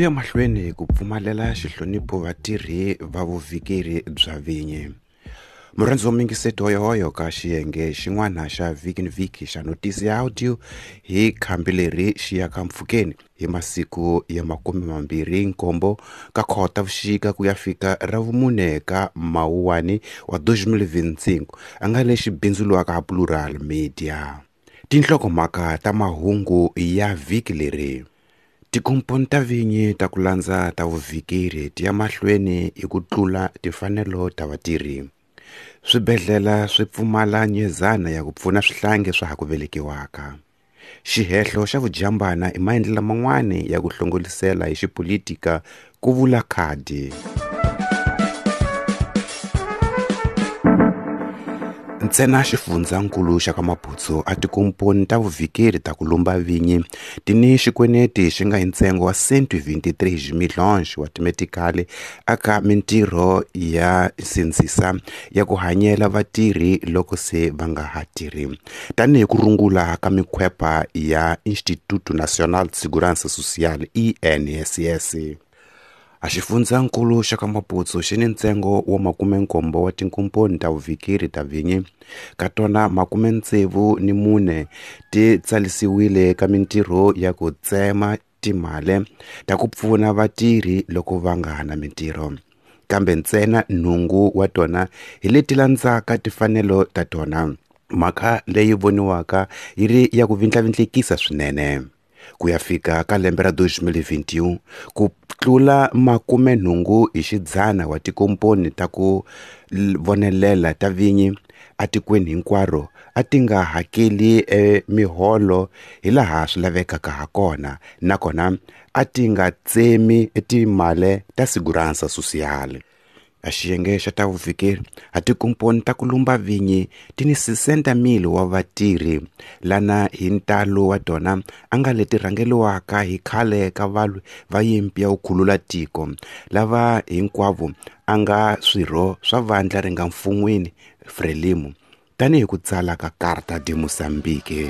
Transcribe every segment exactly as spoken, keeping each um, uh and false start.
Ku ya mahlweni ku pfumalela xihlonipho vatirhi va vuvhikeri bya vinyi. Murhandzi wa mingiseto hoyohoyo ka xiyenge xin'wana xa vhiki ni vhiki xa notisi ya audio hi khambi leri xi yaka mpfhukeni hi masiku ya makume mambirhi nkombo ka Khotavuxika ku ya fika ra vumune ka Mawuwani wa twenty twenty-five a nga lexi bindzuriwaka Plural Media. Tinhlokomhaka ta mahungu ya vhiki leri. Tikomponi ta vinyi ta ku landza ta vuvhikeri ti ya mahlweni hi ku tlula timfanelo ta vatirhi. Swibedhlele swi pfumala nyezana ya ku pfuna swihlangi swa ha ku velekiwaka. Xihehlo xa vujambana i maendlelo man'wana ya ku hlongolisela hi xipolitika ku vula khadi. Ntsena xifundzankulu xa ka Maputsu a tikomponi ta vuvhikeri ta ku lumba vinyi ti ni xikweneti xi nga hi ntsengo wa cent vingt-trois millions wa timetikali aka mintirho ya sindzisa ya ku hanyela vatirhi loko se va nga ha tirhi tanihi ku rungula ka mikhwepa ya Instituto Nacional de Segurança Social I N S S. A xifundzankulu xa ka Maputsu xi ni ntsengo wa makume nkombo wa tinkomponi ta vuvhikeri ta vinyi ka tona makume ntsevu ni mune ti tsalisiwile ka mintirho ya ku tsema timali ta ku pfuna vatirhi loko va nga ha na mintirho kambe ntsena nhungu wa tona hi leti landzaka timfanelo ta tona mhaka leyi voniwaka yi ri ya ku vindlavindlekisa swinene. Ku ya fika ka lembe ra twenty twenty-one ku tlula makume nhungu hi xidzana wa tikomponi ta ku vonelela ta vinyi atikweni hinkwaro a ti nga hakeli e miholo hi laha swi lavekaka ha kona nakona a ti nga tsemi timali ta Segurança Social. A xiyenge xa ta vuvhikeri a tikomponi ta ku lumba vinyi ti ni sixty mil wa vatirhi lana hi ntalo wa tona a nga leti rhangeliwaka hi khale ka valwi va yimpi ya ku khulula tiko lava hinkwavo a nga swirho swa vandla ri nga mfun'wini Frelimo tanihi ku tsala ka Carta de Moçambique.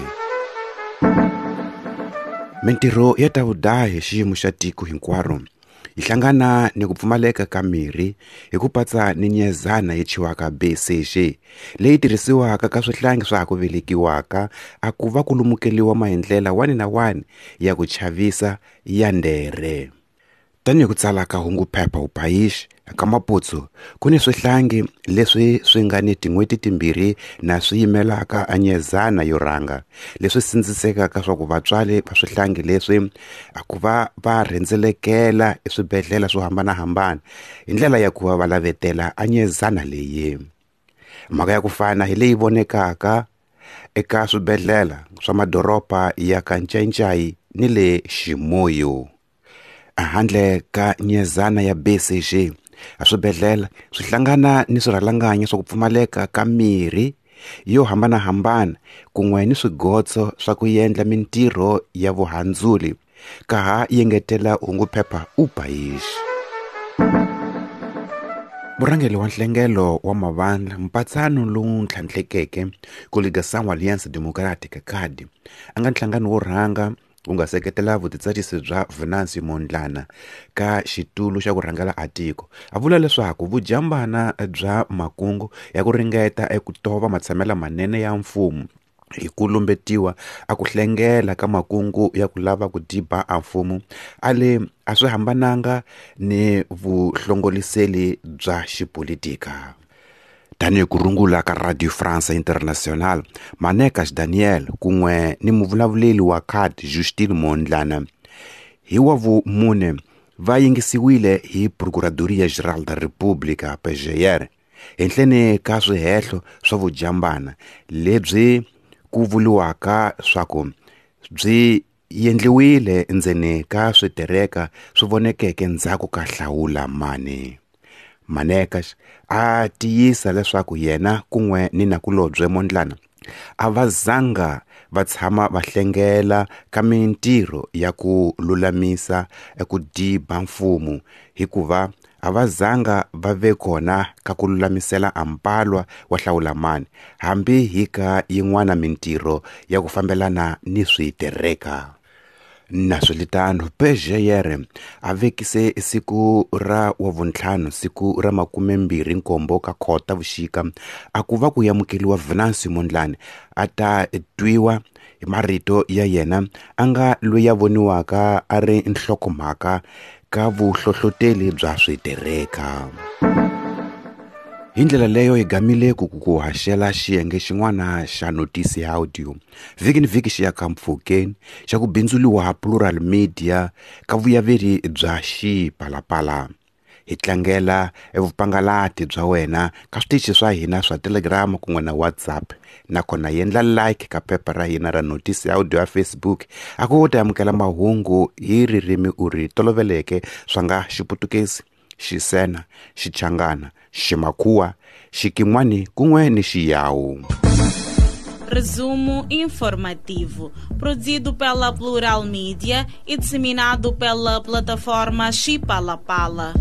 Mintirho ya ta vudahi hi xiyimo xa tiko hinkwaro yi hlangana ni ku pfumaleka ka mirhi hi ku patsa ni nyezana yi chiwaka B C G leyi tirhisiwaka ka swihlangi swa ha ku velekiwaka a ku va ku lumukeliwa maendlela wani na wani ya ku chavisa ya ndere. Tanihi ku tsala ka hungu phepha U País ka Maputsu ku ni swihlangi leswi swi nga ni tin'hweti timbirhi na swi yimelaka a nyezana yo rhanga leswi sindzisekaka swa ku vatswari va swihlangi leswi a ku va va rhendzelekela eswibedhlele swo hambanahambana hi ndlela ya ku va va lavetela a nyezana leyi. Mhaka ya ku fana hi leyi vonekaka eka swibedhlele swa madoroba ya ka Ncayincai ni le Chimoio. Handle ka nyezana ya B C G a swibedhlele swi hlangana ni swirhalanganyi swa ku pfumaleka ka mirhi yo hambanahambana kun'we ni swigotso swa ku endla mintirho ya vuhandzuli ka ha yengetela hungu phepha U País. Murhangeri wa nhlengelo wa mavandla mpatsano lowu ntlhantlhekeke Coligação Aliança Democrática C A D a nga nhlangano wo rhanga wu nga seketela vutitsarisi bya Venancio Mondlane ka xitulu xa ku rhangela a tiko a vula leswaku vujambana bya makungu ya ku ringeta eku tova matshamelo manene ya mfumo hi ku lumbetiwa a ku hlengela ka makungu ya ku lava ku diba a mfumo a le a swi hambananga ni vuhlongoliseli bya xipolitika. Tanihi ku rungula ka Radio France International, Manekas Daniel kun'we ni muvulavuleri wa C A D Justin Mondlane hi wa vumune va yingisiwile hi Procuradoria Geral da República P G R henhleni ka swihehlo swa vujambana lebyi ku vuriwaka swa ku byi endliwile endzeni ka switereka swi vonekeke ndzhaku ka hlawula mani. Manekas a tiyisa leswaku yena kun'we ni nakulobye Mondlane a va zanga va tshama va hlengela ka mintirho ya ku lulamisa eku diba mfumo hikuva a va zanga va ve kona ka ku lulamisela ampalwa wa hlawulamani hambi hi ka yin'wana mintirho ya ku fambelana ni switereka. Naswelitano P G R a vekise siku ra wavuntlhanu siku ra makumembirhi nkombo ka Khotavuxika a ku va ku amukeriwa Venancio Mondlane a ta twiwa hi marito ya yena a nga loyi a voniwaka a ri nhlokomhaka ka vuhlohloteli bya switereka. Hi ndlela leyo hi gamile ku ku haxela xiyenge xin'wana xa notisi ya audio vhiki ni vhiki xi ya ka mpfhukeni xa ku bindzuliwa Plural Media ka vuyaveri bya Xipalapala. Hi tlangela evupangalati bya wena ka switichi swa hina swa Telegram kun'we na WhatsApp, nakona yendla like ka phepha ra hina ra notisi ya audio ya Facebook a ku ta amukela mahungu hi ririmi u ri toloveleke swa nga Xiputukezi, Xisena, Xichangana, Ximakhuwa, Xikin'wani kun'we ni Xiyawu. Resumo informativo, produzido pela Plural Media e disseminado pela plataforma Xipalapala.